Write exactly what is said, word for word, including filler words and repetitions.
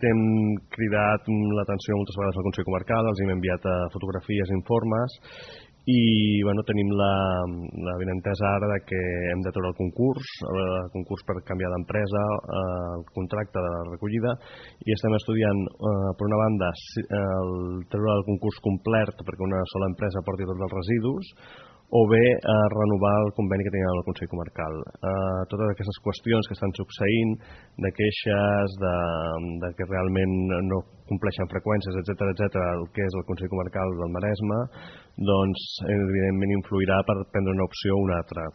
Hem cridat l'atenció moltes vegades al Consell Comarcal, els hem enviat fotografies, informes i bueno, tenim la, la benentesa ara de que hem de treure el concurs, el concurs per canviar d'empresa, el contracte de la recollida, i estem estudiant, eh, per una banda, el treure el concurs complet perquè una sola empresa porti tots els residus, o bé eh, renovar el conveni que tenim amb el Consell Comarcal. Eh, totes aquestes qüestions que estan succeint, de queixes, de, de que realment no compleixen freqüències, etcètera, etcètera, el que és el Consell Comarcal del Maresme, doncs evidentment influirà per prendre una opció o una altra.